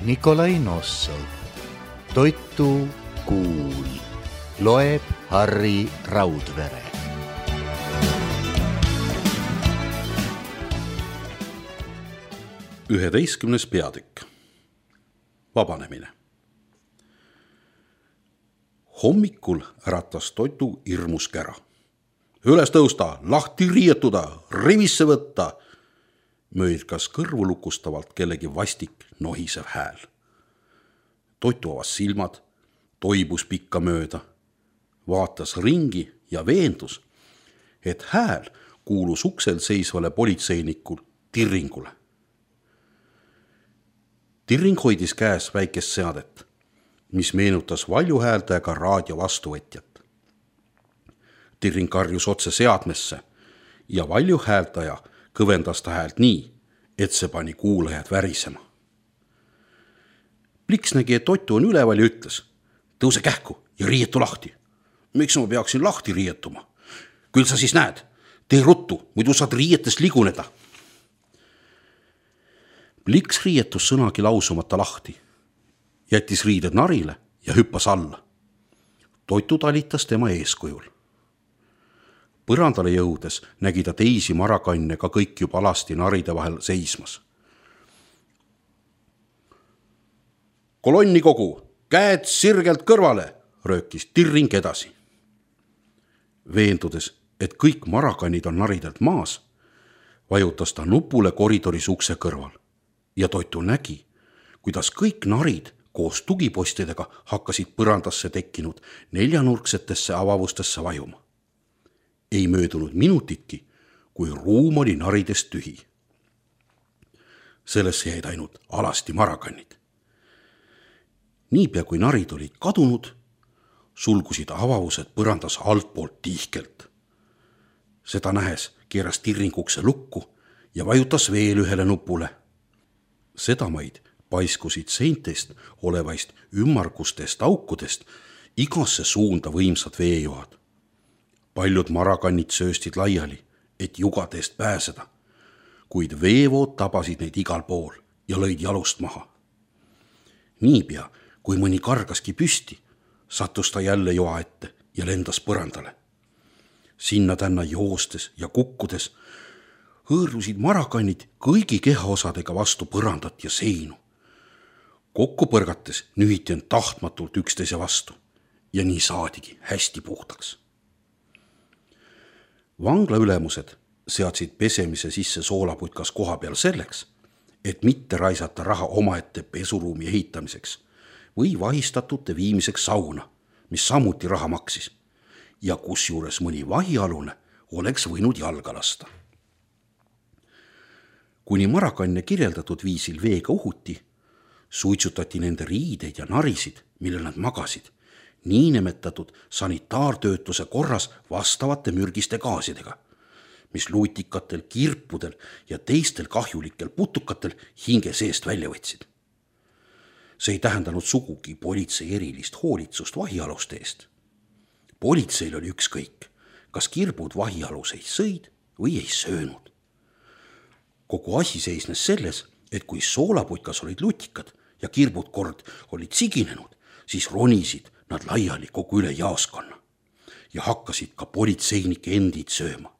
Nikolai Nossov. Toitu kuul. Loeb Harri Raudvere. Üheteistkümnes peatükk. Vabanemine. Hommikul äratas Toitu hirmus kära. Üles tõusta, lahti riietuda, rivisse võtta. Möödkas kõrvu lukustavalt kellegi vastik nohisev hääl. Toitu avas silmad, toibus pikka mööda, vaatas ringi ja veendus, et hääl kuulus uksel seisvale politseinikul Tirringule. Tirring hoidis käes väikest seadet, mis meenutas valjuhääldajaga raadio vastuvõtjat. Tirring karjus otse seadmesse ja valjuhääldaja kõvendas ta häält nii, et see pani kuulajad värisema. Pliks nägi, et Toitu on üleval ja ütles: tõuse kähku ja riietu lahti. Miks ma peaksin lahti riietuma? Küll sa siis näed, tee ruttu, muidu saad riietest liguneda. Pliks riietus sõnagi lausumata lahti, jättis riided narile ja hüppas alla. Toitu talitas tema eeskujul. Põrandale jõudes nägi ta teisi marakanne ka kõik juba alasti naride vahel seismas. Kolonnikogu, käed sirgelt kõrvale, röökis Tirring edasi. Veendudes, et kõik marakannid on naridelt maas, vajutas ta nupule koridoris ukse kõrval ja Toitu nägi, kuidas kõik narid koos tugipostidega hakkasid põrandasse tekkinud neljanurksetesse avavustesse vajuma. Ei möödunud minutitki, kui ruum oli naridest tühi. Sellesse jäid ainult alasti marakannid. Niipea kui narid olid kadunud, sulgusid avavused põrandas altpoolt tihkelt. Seda nähes keeras Tirring ukse lukku ja vajutas veel ühele nupule. Sedamaid paiskusid seintest olevaist ümmargustest aukudest igasse suunda võimsad veejoad. Paljud marakannid sööstid laiali, et jugadest pääseda, kuid veevood tabasid neid igal pool ja lõid jalust maha. Niipea, kui mõni kargaski püsti, sattus ta jälle joa ette ja lendas põrandale. Sinna tänna joostes ja kukkudes hõõrusid marakannid kõigi kehaosadega vastu põrandat ja seinu. Kokku põrgates nühiti end tahtmatult üksteise vastu ja nii saadigi hästi puhtaks. Vangla ülemused seadsid pesemise sisse soolaputkas koha peal selleks, et mitte raisata raha omaette pesuruumi ehitamiseks või vahistatute viimiseks sauna, mis samuti raha maksis ja kusjuures mõni vahialune oleks võinud jalga lasta. Kuni marakanne kirjeldatud viisil veega uhuti, suitsutati nende riideid ja narisid, millel nad magasid, niinimetatud sanitaartöötluse korras vastavate mürgiste gaasidega, mis luutikatel, kirpudel ja teistel kahjulikel putukatel hinge seest välja võtsid. See ei tähendanud sugugi politsei erilist hoolitsust vahialuste eest. Politseil oli ükskõik, kas kirbud vahialuseid sõid või ei söönud. Kogu asi seisnes selles, et kui soolaputkas olid lutikad ja kirbud kord olid siginenud, siis ronisid nad laiali kogu üle jaaskonna ja hakkasid ka politseinike endid sööma.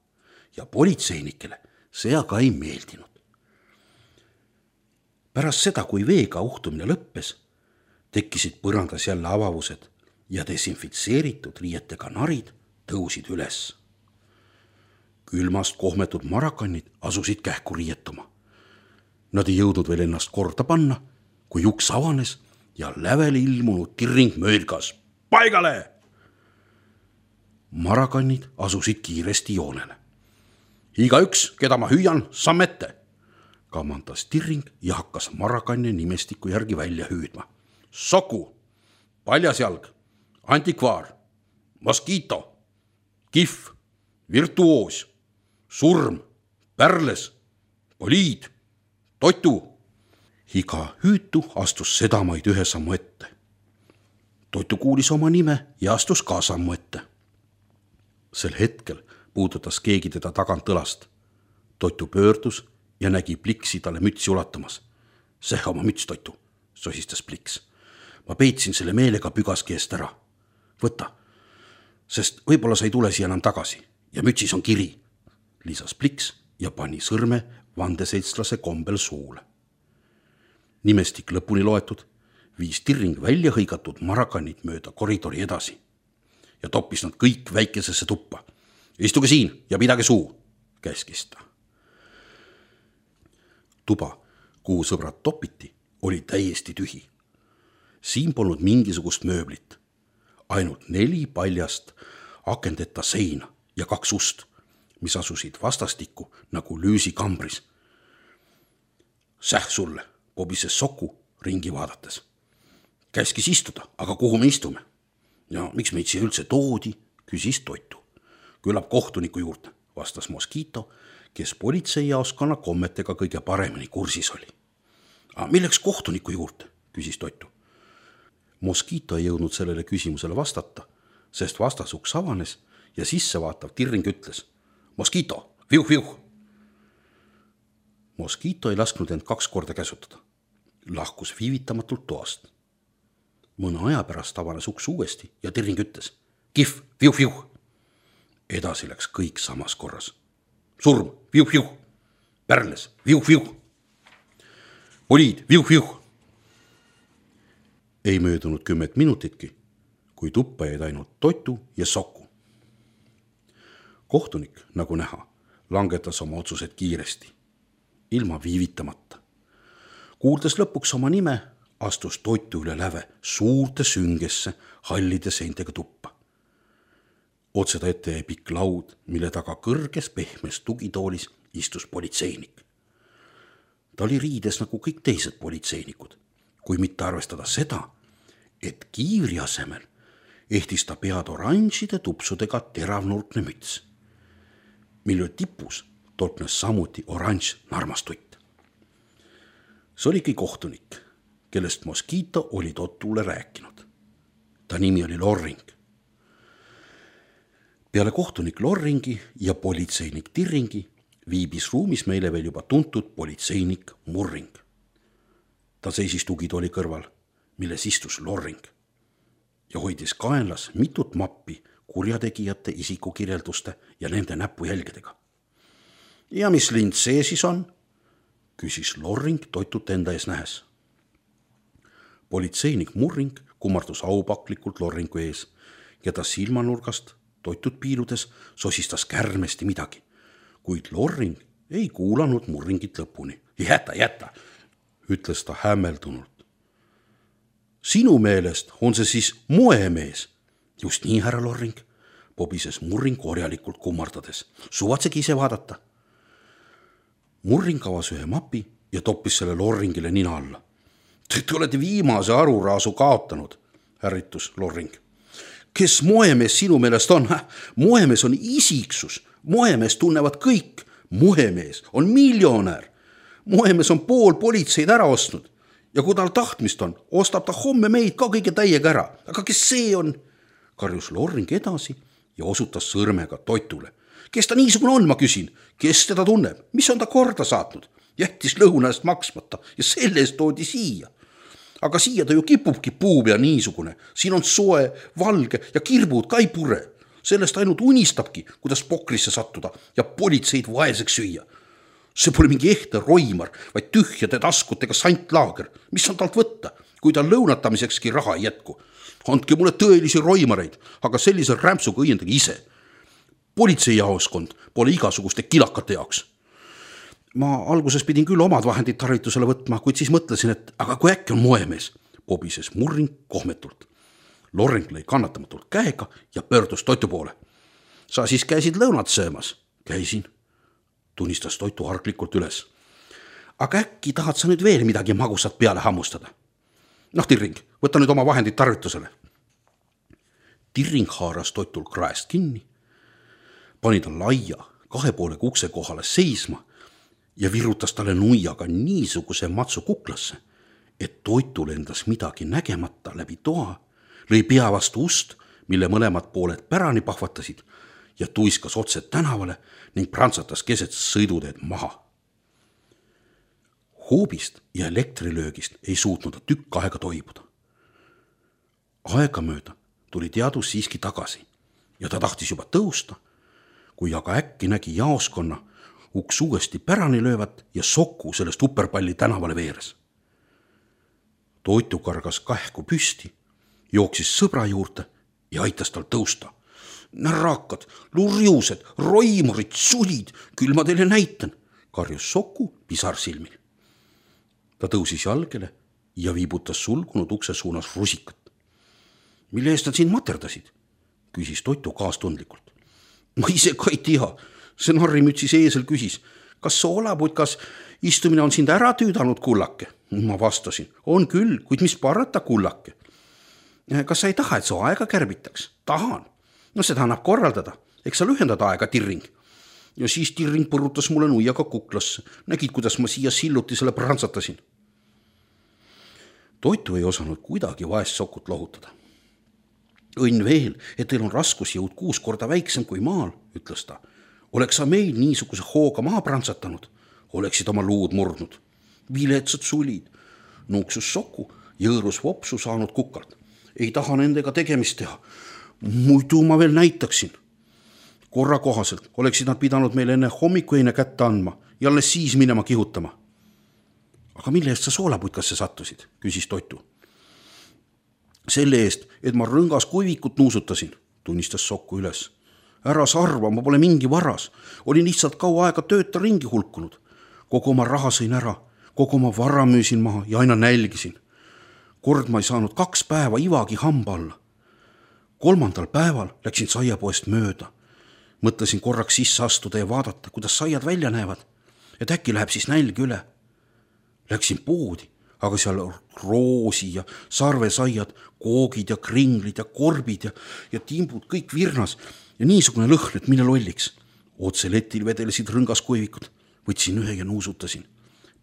Ja politseinikele see aga ei meeldinud. Pärast seda, kui veega uhtumine lõppes, tekkisid põrandas jälle avavused ja desinfitseeritud riietega narid tõusid üles. Külmast kohmetud marakannid asusid kähku riietuma. Nad ei jõudnud veel ennast korda panna, kui uks avanes ja lävele ilmunud Tirring möödkas: paigale! Marakannid asusid kiiresti joonele. Igaüks, keda ma hüüan, samm ette, kamandas Tirring ja hakkas marakanne nimestiku järgi välja hüüdma. Soku, paljasjalg, antikvaar, moskiito, kihv, virtuoos, surm, pärles, poliid, Toitu. Iga hüütu astus sedamaid ühe sammu ette. Toitu kuulis oma nime ja astus ka sammu ette. Sel hetkel puudutas keegi teda tagant õlast. Toitu pöördus ja nägi Pliksi talle mütsi ulatamas. See oma müts, Toitu, sosistas Pliks. Ma peitsin selle meelega pügaski eest ära. Võta, sest võib-olla sa ei tule siia enam tagasi ja mütsis on kiri, lisas Pliks ja pani sõrme vandeseltslase kombel suule. Nimestik lõpuni loetud, viis Tirring välja hõigatud marakanid mööda koridori edasi ja toppis nad kõik väikesesse tuppa. Istuge siin ja pidage suu, käskis ta. Tuba, kuhu sõbrad topiti, oli täiesti tühi. Siin polnud mingisugust mööblit, ainult 4 paljast akendeta seina ja 2 ust, mis asusid vastastikku nagu lüüsikambris. Säh sulle, pobises Soku ringi vaadates. Käskis istuda, aga kuhu me istume? Ja miks meid siia üldse toodi, küsis Toitu. Küllap kohtuniku juurde, vastas Moskiito, kes politseijaoskonna kommetega kõige paremini kursis oli. Milleks kohtuniku juurde, küsis Toitu. Moskiito ei jõudnud sellele küsimusele vastata, sest vastasuks avanes ja sissevaatav Tirring ütles: Moskiito, viuh! Moskiito ei lasknud end 2 korda käsutada. Lahkus viivitamatult toast. Mõne aja pärast avanes uks uuesti ja Tirring ütles: Kihv, viuh! Edasi läks kõik samas korras. Surm, viuh! Pärles, viuh! Poliid, viuh! Ei möödunud 10 minutitki, kui tuppa jäid ainult Toitu ja Soku. Kohtunik, nagu näha, langetas oma otsused kiiresti, ilma viivitamata. Kuuldes lõpuks oma nime, astus Toitu üle läve suurte süngesse hallide seintega tuppa. Otseda ette jäi pikk laud, mille taga kõrges pehmes tugitoolis istus politseinik. Ta oli riides nagu kõik teised politseinikud, kui mitte arvestada seda, et kiivri asemel ehtis ta pead oranžide tupsudega teravnurkne müts, mille tipus tolknes samuti oranž narmastutt. See oligi kohtunik, kellest Moskiito oli Totule rääkinud. Ta nimi oli Lorring. Peale kohtunik Lorringi ja politseinik Tirringi viibis ruumis meile veel juba tuntud politseinik Murring. Ta seisis tugitooli kõrval, milles istus Lorring ja hoidis kaenlas mitut mappi kurjategijate isikukirjelduste ja nende näpujälgedega. Ja mis lind see siis on? Küsis Lorring Toitut enda ees nähes. Politseinik Murring kummardus aupaklikult Lorringu ees ja ta silmanurgast Toitut piiludes sosistas kärmesti midagi, kuid Lorring ei kuulanud Murringit lõpuni. Jäta, ütles ta hämmeldunult. Sinu meelest on see siis moemees? Just nii, härra Lorring, pobises Murring korjalikult kummardades. Suvatsegi ise vaadata. Murring avas ühe mapi ja toppis selle Lorringile nina alla. Te olete viimase aruraasu kaotanud, ärritus Lorring. Kes moemees sinu meelest on? Moemees on isiksus. Moemees tunnevad kõik. Moemees on miljonär. Moemees on pool politseid ära ostnud. Ja kui tal tahtmist on, ostab ta homme meid ka kõige täiega ära. Aga kes see on? Karjus Lorring edasi ja osutas sõrmega Toitule. Kes ta niisugune on, ma küsin? Kes teda tunneb? Mis on ta korda saatnud? Jättis lõuna eest maksmata ja selle eest toodi siia. Aga siia ta ju kipubki puupea niisugune. Siin on soe, valge ja kirbud ka ei pure. Sellest ainult unistabki, kuidas pokrisse sattuda ja politseid vaeseks süüa. See pole mingi ehte roimar, vaid tühjade taskutega santlaager. Mis on talt võtta, kui tal lõunatamisekski raha ei jätku? Andke mulle tõelisi roimareid, aga sellise rämpsuga õiendage ise. Politseijaoskond pole igasuguste kilakate jaoks. Ma alguses pidin küll omad vahendid tarvitusele võtma, kuid siis mõtlesin, et aga kui äkki on moemees, pobises Murring kohmetult. Lorring lõi kannatamatult käega ja pöördus Toitu poole. Sa siis käisid lõunat söömas? Käisin, tunnistas Toitu harklikult üles. Aga äkki tahad sa nüüd veel midagi magusat peale hammustada? Tirring, võta nüüd oma vahendid tarvitusele. Tirring haaras Toitul kraest kinni, pani ta laia 2 poolega ukse kohale seisma ja virutas talle nuiaga niisuguse matsu kuklasse, et Toitul endas midagi nägemata läbi toa, lõi pea vastu ust, mille mõlemad pooled pärani pahvatasid ja tuiskas otse tänavale ning prantsatas keset sõiduteed maha. Hoobist ja elektrilöögist ei suutnud ta tükk aega toibuda. Aegamööda tuli teadus siiski tagasi ja ta tahtis juba tõusta, kui aga äkki nägi jaoskonna uks uuesti pärani löövat ja Soku sellest uperpalli tänavale veeres. Toitu kargas kähku püsti, jooksis sõbra juurde ja aitas tal tõusta. Närrakad, lurjused, roimurid, sulid, küll ma teile näitan, karjus Soku pisar silmil. Ta tõusis jalgele ja viibutas sulgunud ukse suunas rusikat. Mille eest nad sind materdasid? Küsis Toitu kaastundlikult. Ma ise ka ei tea. See narrimütsis eesel küsis, kas soolaputkas istumine on sind ära tüüdanud, kullake? Ma vastasin, on küll, kuid mis parata, kullake. Kas sa ei taha, et su aega kärbitaks? Tahan. No seda annab korraldada. Eks sa lühendad aega, Tirring. Ja siis Tirring põrutas mulle nuiaga kuklasse. Nägid, kuidas ma siia silluti selle prantsatasin. Toitu ei osanud kuidagi vaest Sokut lohutada. Õnn veel, et teil on raskusjõud 6 korda väiksem kui maal, ütles ta. Oleks sa meil niisuguse hooga maha prantsatanud, oleksid oma luud murdnud. Viletsad sulid, nuuksus Soku, jõõrus vopsu saanud kukalt. Ei taha nendega tegemist teha. Muidu ma veel näitaksin. Korra kohaselt oleksid nad pidanud meile enne hommikuine kätte andma ja alles siis minema kihutama. Aga mille eest sa soolaputkasse sattusid, küsis Toitu. Selle eest, et ma rõngas kuivikut nuusutasin, tunnistas Soku üles. Ära sa arva, ma pole mingi varas. Olin lihtsalt kaua aega tööta ringi hulkunud. Kogu oma raha sõin ära, kogu oma vara müüsin maha ja aina nälgisin. Kord ma ei saanud 2 päeva ivagi hamba alla. 3. päeval läksin saiapoest mööda. Mõtlesin korraks sisse astuda ja vaadata, kuidas saiad välja näevad. Et äkki läheb siis nälg üle. Läksin poodi, aga seal roosi ja sarvesaiad, koogid ja kringlid ja korbid ja timbud kõik virnas ja niisugune lõhn, et mine lolliks. Otse letil vedelesid rõngaskuivikud. Võtsin ühe ja nuusutasin.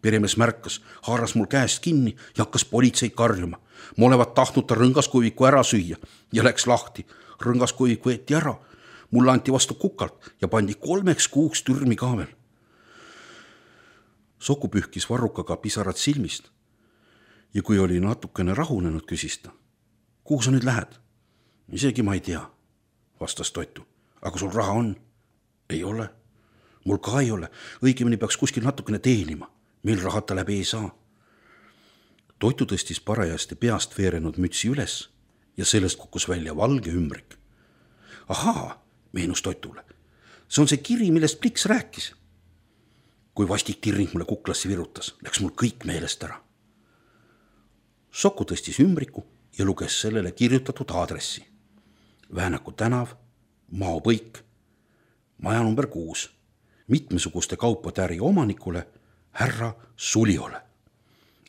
Peremees märkas, haaras mul käest kinni ja hakkas politseid karjuma. Ma olevat tahtnud ta rõngaskuiviku ära süüa ja läks lahti. Rõngaskuivik võeti ära. Mulle anti vastu kukalt ja pandi 3 kuuks türmi ka veel. Soku pühkis varrukaga pisarad silmist ja kui oli natukene rahunenud, küsis ta. Kuhu sa nüüd lähed? Isegi ma ei tea, vastas Toitu. Aga sul raha on? Ei ole. Mul ka ei ole. Õigemini peaks kuskil natukene teenima. Meil rahata läbi ei saa. Toitu tõstis parajasti peast veerenud mütsi üles ja sellest kukkus välja valge ümbrik. Ahaa, meenus Toitule. See on see kiri, millest Pliks rääkis. Kui vastik Tirring mulle kuklasse virutas, läks mul kõik meelest ära. Soku tõstis ümbriku ja luges sellele kirjutatud aadressi. Väänaku tänav, Maopõik, maja number 6, mitmesuguste kaupade äri omanikule, härra Suliole.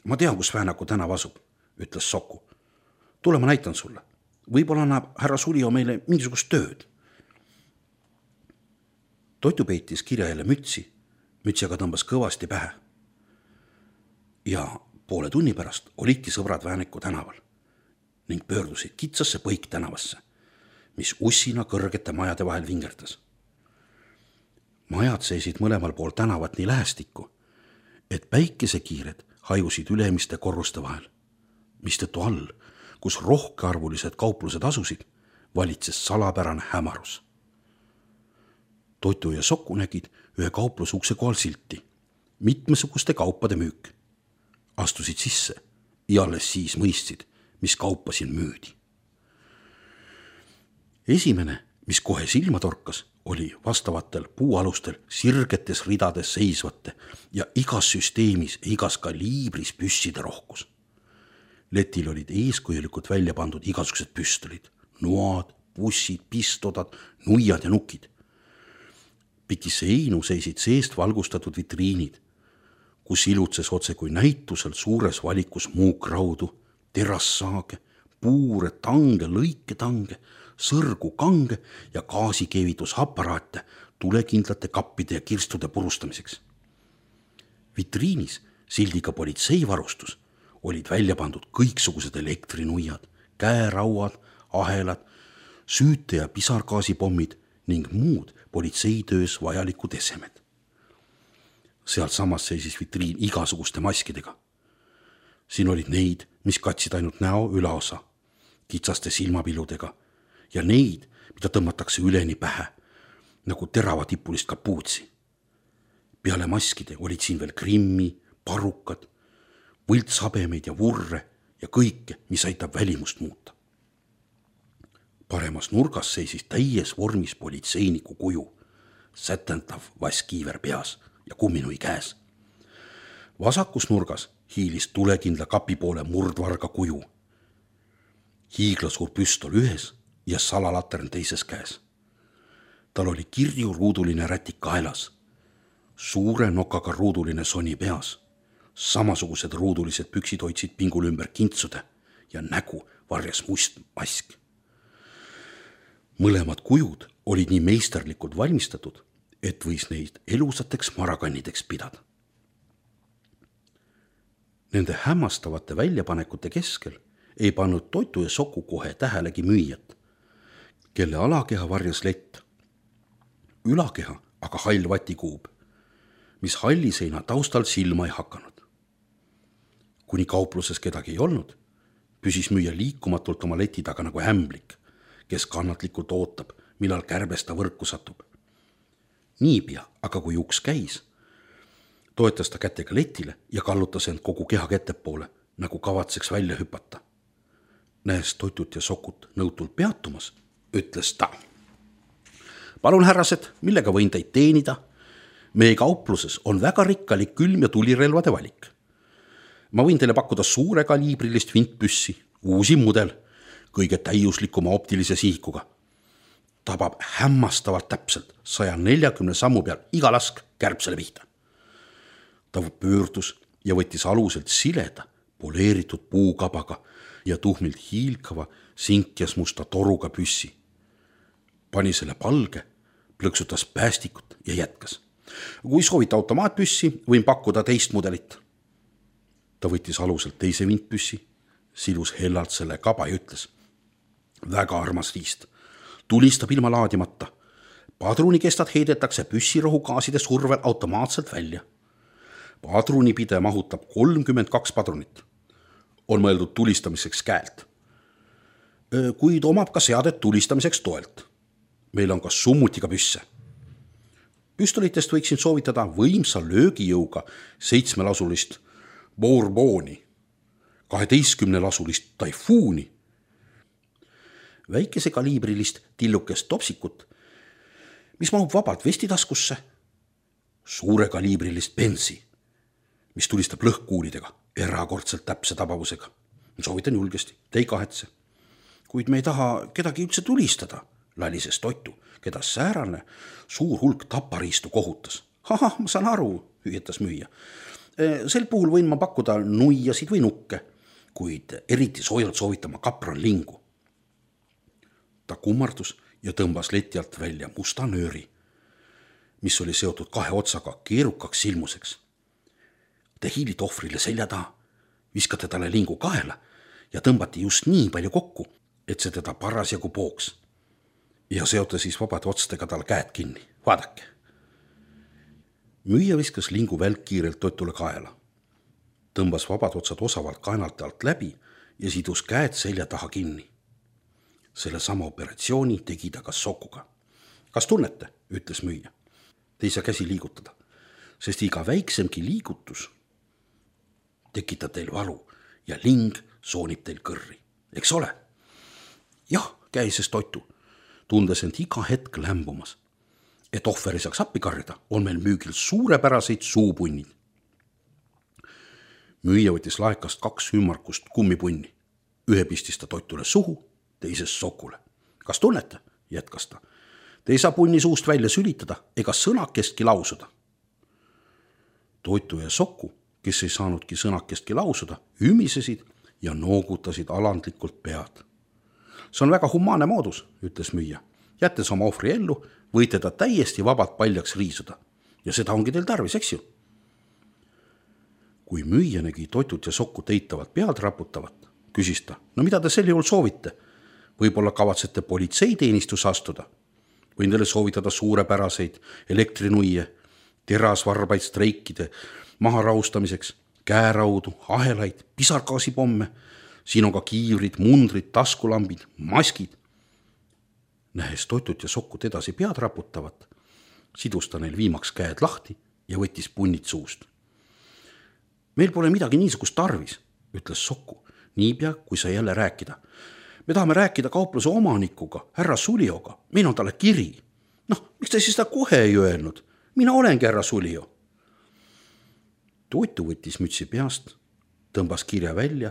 Ma tean, kus Väänaku tänav asub, ütles Soku. Tule, ma näitan sulle. Võib-olla annab härra Sulio meile mingisugust tööd. Toitu peitis kirja jälle mütsi aga tõmbas kõvasti pähe. Ja poole tunni pärast olidki sõbrad Väänaku tänaval ning pöördusid kitsasse Põik tänavasse, mis ussina kõrgete majade vahel vingerdas. Majad seisid mõlemal pool tänavat nii lähestikku, et päikesekiired hajusid ülemiste korruste vahel, mistõttu all, kus rohkearvulised kauplused asusid, valitses salapärane hämarus. Toitu ja Soku nägid ühe kauplusukse kohal silti, mitmesuguste kaupade müük. Astusid sisse ja alles siis mõistsid, mis kaupa siin müüdi. Esimene, mis kohe silma torkas, oli vastavatel puualustel sirgetes ridades seisvate ja igas süsteemis ja igas kaliibris püsside rohkus. Letil olid eeskujulikult välja pandud igasugused püstolid, noad, bussid, pistodad, nuiad ja nukid. Pikisse einu seisid seest valgustatud vitriinid, kus ilutses otse kui näitusel suures valikus muukraudu, terassaage, puure, tange, lõiketange, sõrgu, kange ja gaasikeevitusaparaate tulekindlate kappide ja kirstude purustamiseks. Vitriinis sildiga politseivarustus olid välja pandud kõiksugused elektrinuiad, käerauad, ahelad, süüte- ja pisargaasipommid ning muud politseitöös vajalikud esemed. Sealt samas seisis vitriin igasuguste maskidega. Siin olid neid, mis katsid ainult näo ülaosa, kitsaste silmapiludega ja neid, mida tõmmatakse üleni pähe, nagu teravatippulist kapuutsi. Peale maskide olid siin veel krimmi, parukad, võltshabemeid ja vurre ja kõike, mis aitab välimust muuta. Paremas nurgas seisis täies vormis politseiniku kuju, sätendav vaskiiver peas ja kumminui käes. Vasakus nurgas hiilis tulekindla kapi poole murdvarga kuju. Hiiglasuur püstol ühes ja salalatern teises käes. Tal oli kirju ruuduline rätik kaelas, suure nokaga ruuduline soni peas, samasugused ruudulised püksid hoidsid pingul ümber kintsude ja nägu varjas must mask. Mõlemad kujud olid nii meisterlikult valmistatud, et võis neid elusateks marakannideks pidada. Nende hämmastavate väljapanekute keskel ei pannud Toitu ja Soku kohe tähelegi müüjat, kelle alakeha varjas lett, ülakeha aga hall vatikuub, mis halli seina taustal silma ei hakanud. Kuni kaupluses kedagi ei olnud, püsis müüja liikumatult oma leti taga nagu ämblik, kes kannatlikult ootab, millal kärbesta võrku satub. Niipea, aga kui uks käis, toetas ta kätega letile ja kallutas end kogu keha ettepoole, nagu kavatseks välja hüpata. Näes Toitut ja Sokut nõutult peatumas, ütles ta. Palun, härrased, millega võin teid teenida? Meie kaupluses on väga rikkalik külm- ja tulirelvade valik. Ma võin teile pakkuda suure kaliibrilist vintpüssi, uusi mudel, kõige täiuslikuma optilise sihikuga. Tabab hämmastavalt täpselt 140 sammu peal iga lask kärbsele pihta. Ta pöördus ja võttis aluselt sileda, poleeritud puukabaga ja tuhmilt hiilkava sinkjas musta toruga püssi. Pani selle palge, plõksutas päästikut ja jätkas. Kui soovite automaatpüssi, võin pakkuda teist mudelit. Ta võttis aluselt teise vintpüssi, silus hellalt selle kaba ja ütles. Väga armas riist. Tulistab ilma laadimata. Padrunikestad heidetakse püssirohugaaside survel automaatselt välja. Padrunipide mahutab 32 padrunit. On mõeldud tulistamiseks käelt. Kuid omab ka seadet tulistamiseks toelt. Meil on ka summutiga püsse. Püstolitest võiksin soovitada võimsa löögijõuga 7-lasulist Bourboni, 12-lasulist Taifuuni, väikese kaliibrilist tillukest topsikut, mis mahub vabalt vestitaskusse, suure kaliibrilist Benzi, mis tulistab lõhkkuulidega, erakordselt täpse tabavusega. Soovitan julgesti, te ei kahetse. Kuid me ei taha kedagi üldse tulistada, lalises Toitu, keda säärane suur hulk tapariistu kohutas. Ahah, ma saan aru, hüüetas müüja. Sel puhul võin ma pakkuda nuiasid või nukke, kuid eriti soojalt soovitama kapranlingu. Ta kummardus ja tõmbas leti alt välja musta nööri, mis oli seotud 2 otsaga keerukaks silmuseks. Te hiilite ohvrile selja taha, viskate talle lingu kaela ja tõmbati just nii palju kokku, et see teda parasjagu pooks. Ja seote siis vabade otstega tal käed kinni. Vaadake. Müüja viskas lingu välkkiirelt Toitule kaela. Tõmbas vabad otsad osavalt kaenalt alt läbi ja sidus käed selja taha kinni. Selle sama operatsiooni tegi ta ka Sokuga. Kas tunnete, ütles müüja. Te ei saa käsi liigutada, sest iga väiksemgi liigutus tekitab teil valu ja ling soonib teil kõrri. Eks ole? Jah, käises Toitu, tundes end iga hetk lämbumas. Et ohver ei saaks appi karjada, on meil müügil suurepäraseid suupunnid. Müüja võttis laekast 2 ümmarkust kummipunni. Ühe pistis ta Toitule suhu, teises Sokule. Kas tunnete? Jätkas ta. Te ei saa punni suust välja sülitada ega sõnakestki lausuda. Toitu ja Soku, kes ei saanudki sõnakestki lausuda, ümisesid ja noogutasid alandlikult pead. See on väga humaanne moodus, ütles müüja. Jättes oma ohvri ellu, võite ta täiesti vabalt paljaks riisuda. Ja seda ongi teil tarvis, eks ju? Kui müüja nägi Toitut ja Sokut eitavalt pead raputavat, küsis ta, no mida te sel juhul soovite? Võib-olla kavatsete politseiteenistus astuda? Võin teile soovitada suurepäraseid elektrinuie, terasvarbaid streikide maharaustamiseks, käeraudu, ahelaid, pisargaasipomme. Siin on ka kiivrid, mundrid, taskulambid, maskid. Nähes Totut ja Sokut edasi pead raputavat, sidus ta neil viimaks käed lahti ja võttis punnid suust. Meil pole midagi niisugust tarvis, ütles Soku, niipea kui sai jälle rääkida. Me tahame rääkida kaupluse omanikuga, härra Sulioga, meil on talle kiri. Miks ta siis seda kohe ei öelnud? Mina olengi härra Sulio. Totu võttis mütsi peast, tõmbas kirja välja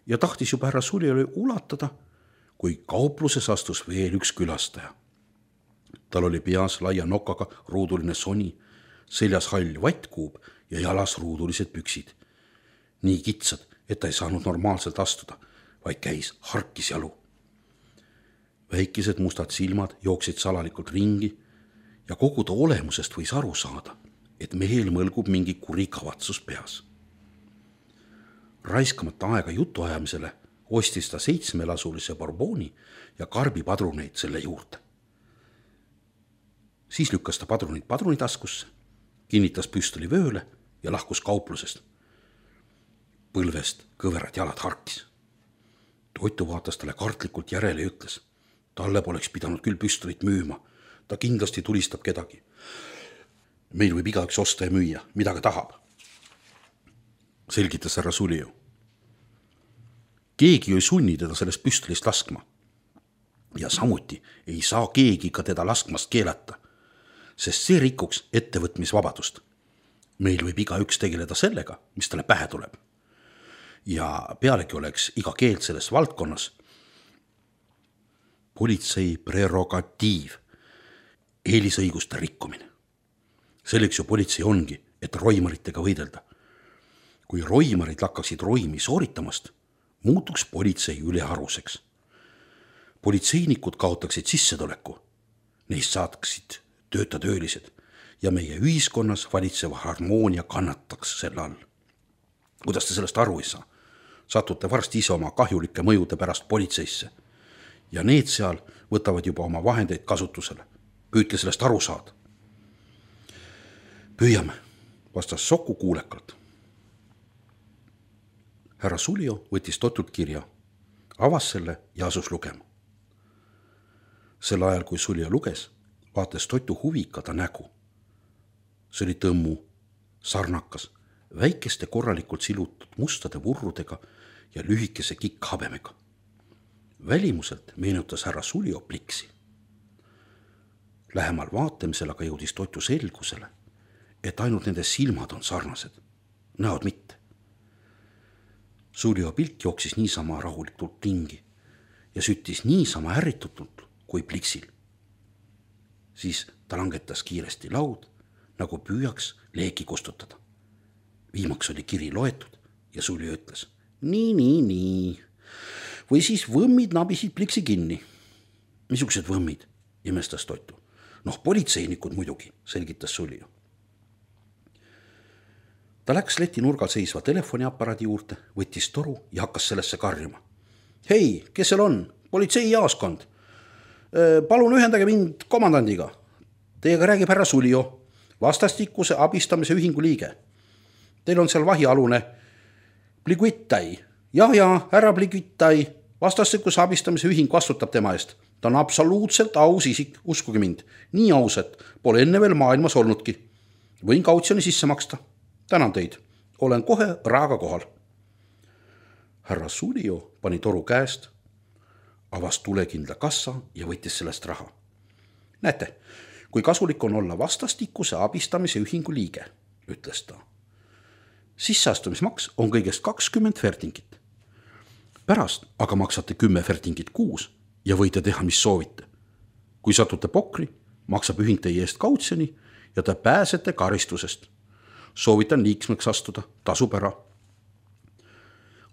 ja tahtis juba härra Suliole ulatada, kui kaupluses astus veel üks külastaja. Tal oli peas laia nokaga ruuduline soni, seljas hall vattkuub ja jalas ruudulised püksid. Nii kitsad, et ta ei saanud normaalselt astuda, vaid käis harkis jalu. Väikesed mustad silmad jooksid salalikult ringi ja kogu ta olemusest võis aru saada, et mehel mõlgub mingi kuri kavatsus peas. Raiskamata aega jutuajamisele ostis ta 7-lasulise Bourboni ja karbipadruneid selle juurde. Siis lükkas ta padrunid padrunitaskusse, kinnitas püstoli vööle ja lahkus kauplusest. Põlvest kõverad jalad harkis. Totu vaatas talle kartlikult järele ja ütles, talle poleks pidanud küll püstolit müüma, ta kindlasti tulistab kedagi. Meil võib igaüks osta ja müüa, mida ka tahab, selgitas härra Sulio. Keegi ei sunni teda sellest püstolist laskma. Ja samuti ei saa keegi ka teda laskmast keelata, sest see rikuks ettevõtmisvabadust. Meil võib igaüks tegeleda sellega, mis talle pähe tuleb. Ja pealegi oleks iga keeld selles valdkonnas politsei prerogatiiv, eelisõiguste rikkumine. Selleks ju politsei ongi, et roimaritega võidelda. Kui roimarid lakkaksid roimi sooritamast, muutuks politsei üleharuseks. Politseinikud kaotaksid sissetuleku, neist saaksid töölised ja meie ühiskonnas valitseva harmoonia kannataks selle all. Kuidas te sellest aru ei saa? Satute varsti ise oma kahjulike mõjude pärast politseisse ja need seal võtavad juba oma vahendeid kasutusele. Püüdke sellest aru saada. Püüame, vastas Soku kuulekalt. Härra Sulio võttis Totult kirja, avas selle ja asus lugema. Sel ajal, kui Sulio luges, vaatas Totu huvika ta nägu. See oli tõmmu, sarnakas, väikeste korralikult silutud mustade vurrudega ja lühikese kikkhabemega. Välimuselt meenutas härra Sulio pliksi. Lähemal vaatamisel aga jõudis Totu selgusele, et ainult nende silmad on sarnased, näod mitte. Sulio pilk jooksis niisama rahulikult ringi ja süttis niisama ärritutult kui pliksil. Siis ta langetas kiiresti laud, nagu püüaks leeki kustutada. Viimaks oli kiri loetud ja Sulio ütles, nii. Või siis võmmid nabisid pliksi kinni. Missugused võmmid, imestas Totu. Politseinikud muidugi, selgitas Sulio. Ta läks leti nurgal seisva telefoniaparaadi juurde, võttis toru ja hakkas sellesse karjuma. Hei, kes seal on? Politseijaoskond. Palun ühendage mind komandandiga. Teiega räägib härra Sulio, vastastikuse abistamise ühingu liige. Teil on seal vahialune Pliguitai. Ja, härra Pliguitai, vastastikuse abistamise ühing vastutab tema eest. Ta on absoluutselt aus isik, uskuge mind. Nii aus, et pole enne veel maailmas olnudki. Võin kautsjoni sisse maksta. Tänan teid. Olen kohe raaga kohal. Härra Sulio pani toru käest, avas tulekindla kassa ja võttis sellest raha. Näete, kui kasulik on olla vastastikuse abistamise ühingu liige, ütles ta. Sisseastumismaks on kõigest 20 fertingit. Pärast aga maksate 10 fertingit kuus ja võite teha, mis soovite. Kui satute pokri, maksab ühing teie eest kautsjoni ja te pääsete karistusest. Soovitan liikmeks astuda, tasub ära.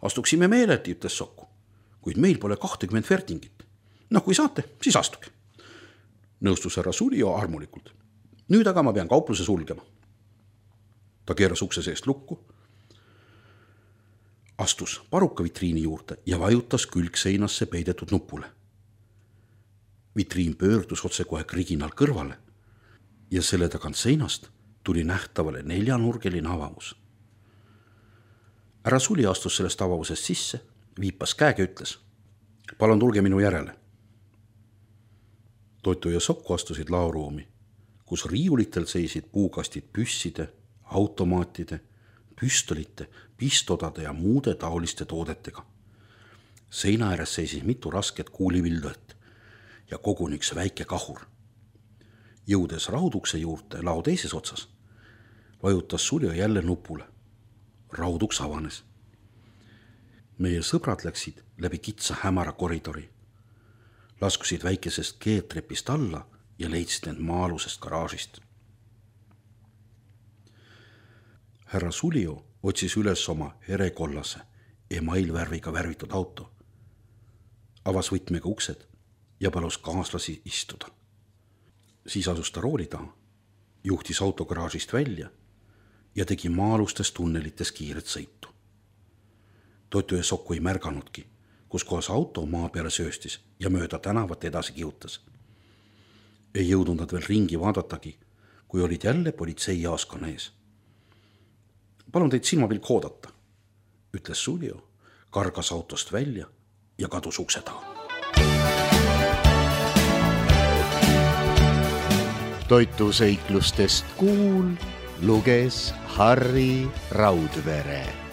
Astuksime meeleti, ütles Soku, kuid meil pole 20 fertingit. Kui saate, siis astuge. Nõustus härra Sulio armulikult. Nüüd aga ma pean kaupluse sulgema. Ta keeras ukse seest lukku, astus paruka vitriini juurde ja vajutas külgseinasse peidetud nupule. Vitriin pöördus otse kohe kriginal kõrvale ja selle tagant seinast tuli nähtavale 4-nurgeline avavus. Härra Suli astus sellest avavusest sisse, viipas käega ja ütles: palun tulge minu järele. Totu ja Sokku astusid laoruumi, kus riiulitel seisid puukastid püsside, automaatide, püstolite, pistodade ja muude taoliste toodetega. Seina ääres seisis mitu rasket kuulivildõet ja koguni üks väike kahur. Jõudes raudukse juurde lao teises otsas, vajutas Suljo jälle nupule. Rauduks avanes. Meie sõbrad läksid läbi kitsa hämara koridori, laskusid väikesest keetrepist alla ja leidsid end maa-alusest garaažist. Härra Suljo otsis üles oma herekollase emailvärviga värvitud auto, avas võtmega uksed ja palus kaaslasi istuda. Siis asus ta rooli taha, juhtis auto garaažist välja ja tegi maa-alustes tunnelites kiiret sõitu. Totu ja Sokku ei märganudki, kus kohas auto maa peale sööstis ja mööda tänavat edasi kihutas. Ei jõudnud nad veel ringi vaadatagi, kui olid jälle politseijaoskonna ees. Palun teid silmapilk oodata, ütles Suljo, kargas autost välja ja kadus ukse taha. Toitu seiklustest Kuul luges Harri Raudvere.